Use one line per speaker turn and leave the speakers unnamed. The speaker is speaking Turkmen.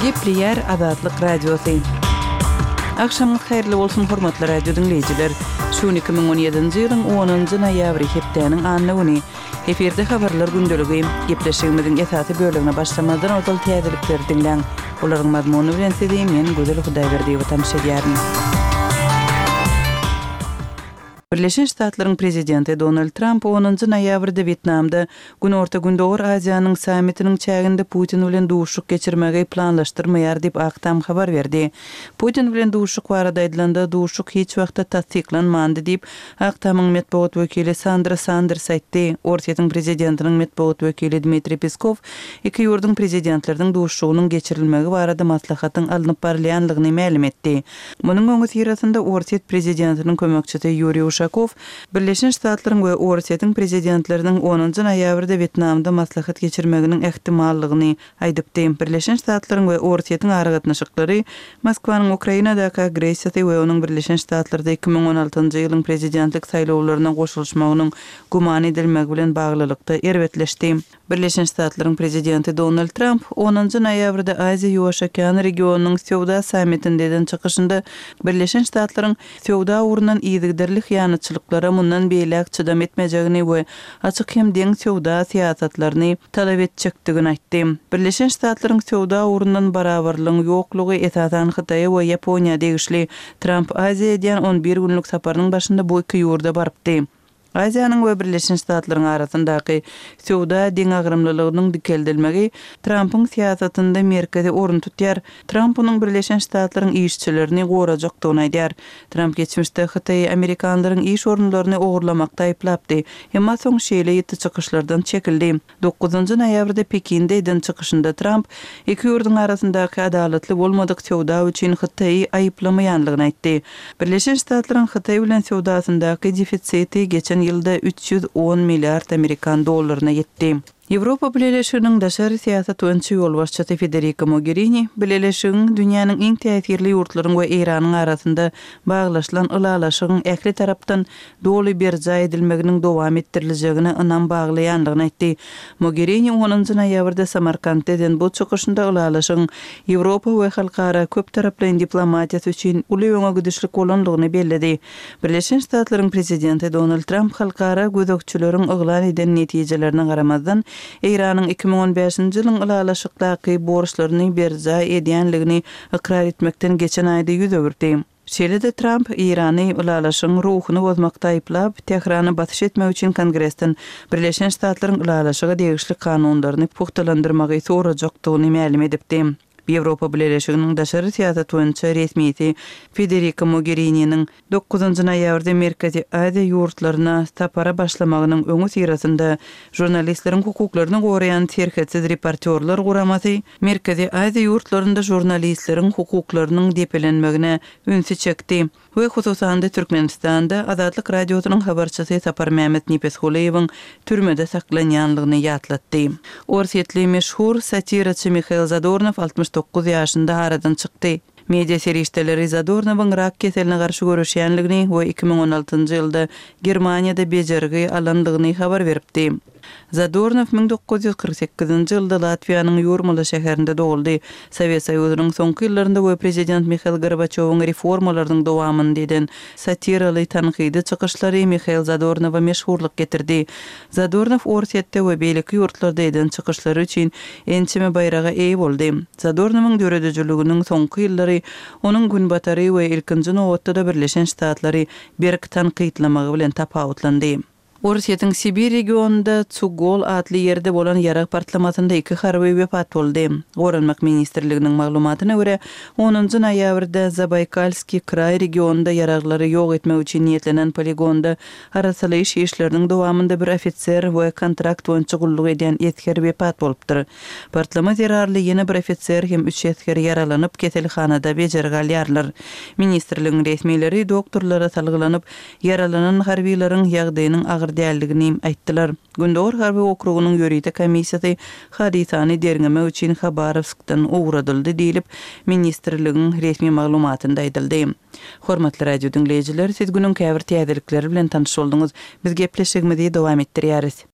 Gepleýär Azatlyk Radiosy. Agşamyňyz haýyrly bolsun, hormatly radio diňleýjiler! Şu gün 2017-nji ýylyň onunjy noýabry, hepdäniň anna güni. Efirde habarlar gündeligi. Gepleşigimiziň esasy bölegine başlamazdan ozal täzelikleri diňläň. Olaryň mazmuny bilen sizi men Gözel Hudaýberdiýewa tanyş edýärin. Birleşen Ştatlaryň Prezidenti Donald Tramp onunjy noýabrda Wýetnamda Günorta-Gündogar Aziýanyň sammitiniň çäginde Putin bilen duşuşyk geçirmegi planlaşdyrmaýar diýip, Ak Tam habar berdi. Putin bilen duşuşyk barada aýdylanda, duşuşyk hiç wagtda tassyklanmandy diýip, Ak Tamyň metbugat wekili Sandra Sanders aýtdy. Orsýetiň prezidentiniň metbugat wekili Dmitriý Peskow iki ýurduň prezidentleriniň duşuşygynyň geçirilmegi barada maslahatyň alnyp barylýanlygyny mälim etdi. Munuň öňüsyrasynda Orsýet prezidentiniň kömekçisi Ýuriý Uşakow Birleşen Ştatlaryň we Orsýetiň prezidentleriniň onunjy noýabrda Wýetnamda maslahat geçirmeginiň ähtimallygyny aýdypdy. Birleşen Ştatlaryň we Orsýetiň aragatnaşyklary Moskwanyň Ukrainadaky agressiýasy we onuň Birleşen Ştatlarda 2016-njy ýylyň prezidentlik saýlawlaryna goşulyşmagynyň güman edilmegi bilen baglylykda erbetleşdi. Birleşen Ştatlaryň Prezidenti Donald Tramp onunjy noýabrda Aziýa-Ýuwaş okean regionynyň söwda sammitinde eden çykyşynda Birleşen Ştatlaryň söwda ugrundan yzygiderli hyýanatçylyklara mundan beýläk çydam etmejegini we açyk hem deň söwda syýasatlaryny talap etjekdigini aýtdy. Birleşen Ştatlaryň söwda ugrundan barabarlygyň ýoklugy esasan Hytaýa we Ýaponiýa degişli. Tramp Aziýa edýän on bir günlük saparynyň başynda bu iki ýurda barypdy. Aziýanyň we Birleşen Ştatlaryň arasyndaky söwda deňagramlylygynyň dikeldilmegi Trampyň syýasatynda merkezi orun tutýar. Tramp onuň Birleşen Ştatlaryň işçilerini gorajakdygyny aýdýar. Tramp geçmişde Hytaýy amerikanlaryň iş orunlaryny ogurlamakda aýyplapdy. Emma soň şeýle ýiti çykyşlardan çekildi. Dokuzynjy noýabrda Pekinde eden çykyşynda Tramp iki ýurduň arasyndaky adalatly bolmadyk söwda üçin Hytaýy aýyplamaýanlygyny aýtdy. Birleşen Ştatlaryň Hytaý bilen söwdasyndaky defisiti geçen ýylda 310 milliard amerikan dollaryna ýetdi. Ýewropa Bileleşiginiň daşary syýasat boýunça ýolbaşçysy Federika Mogerini Bileleşigiň dünýäniň iň täsirli ýurtlaryň we Eýranyň arasynda baglaşylan ylalaşygyň ähli tarapdan doly berjaý edilmeginiň dowam etdiriljegine ynam baglaýandygyny aýtdy. Mogerini onunjy noýabrda Samarkantda eden bu çykyşynda ylalaşygyň Ýewropa we halkara köptaraplaýyn diplomatiýasy üçin uly öňe gidişlik bolandygyny belledi. Birleşen Ştatlaryň prezidenti Donald Tramp halkara gözegçileriň yglan eden netijelerine garamazdan, Eýranyň 2015-nji ýylyň ylalaşykdaky borçlaryny berjaý edýänligini ykrar etmekden geçen aýda ýüz öwürdi. Şeýle-de Tramp Eýrany ylalaşygyň ruhuny bozmakda aýyplap, Tährana basyş etmek üçin Kongresden Birleşen Ştatlaryň ylalaşyga degişli kanunlaryny pugtalandyrmagy sorajakdygyny mälim edipdi. Ýewropa Bileleşiginiň daşary syýasat boýunça resmisi Federika Mogerininiň dokuzynjy noýabrda Merkezi Aziýa ýurtlaryna sapara başlamagynyň öňüsyrasynda žurnalistleriň hukuklaryny goraýan Serhetsiz reportýorlar guramasy Merkezi Aziýa ýurtlarynda žurnalistleriň hukuklarynyň depelenmegine ünsi çekdi we hususan-da Türkmenistanda Azatlyk Radiosynyň habarçysy Saparmämmet Nepesgulyýewiň türmede saklanýanlygyny ýatlatdy. Orsýetli meşhur satiraçy Mihail Zadornow 69 ýaşynda aradan çykdy. Media serişdeleri Zadornowyň rak keseline garşy göreşýänligini we 2016-njy ýylda Germaniýada bejergi alandygyny habar beripdi. Zadornow 1948-nji ýylda Latwiýanyň Ýurmala şäherinde doguldy. Sowet Soýuzynyň soňky ýyllarynda we prezident Mihail Gorbaçýowyň reformalarynyň dowamynda eden satiraly tankydy çykyşlary Mihail Zadornowa meşhurlyk getirdi. Zadornow Orsýetde we beýleki ýurtlarda eden çykyşlary üçin ençeme baýraga eýe boldy. Zadornowyň döredijiliginiň soňky ýyllary onuň Günbatary we ilkinji nobatda-da Birleşen Ştatlary berk tankytlamagy bilen tapawutlandy. Orsýetiň Sibir regionynda Tsugol atly ýerde bolan ýarag partlamasynda iki harby wepat boldy. Goranmak ministrliginiň maglumatyna görä, onunjy noýabrda Zabaýkalskiý kraý regionynda ýaraglary ýok etmek üçin niýetlenen poligonda arassalaýyş işleriniň dowamynda bir ofiser we kontrakt boýunça gulluk edýän esger wepat bolupdyr. Partlama zerarly ýene bir ofiser hem üç esger ýaralanyp, keselhanada bejergi alýarlar. Ministrligiň resmileri doktorlara salgylanyp, Ýaralanan harbylaryň ýagdaýynyň agyr däldigini aýtdylar. Gündogar harby okrugynyň ýörite komissiýasy hadysany derňemek üçin Habarowskdan ugradyldy diýlip, ministrligiň resmi maglumatynda aýdyldy. Hormatly radio diňleýjiler, siz günüň käbir täzelikleri bilen tanyş bolduňyz. Biz gepleşigimizi dowam etdirýäris.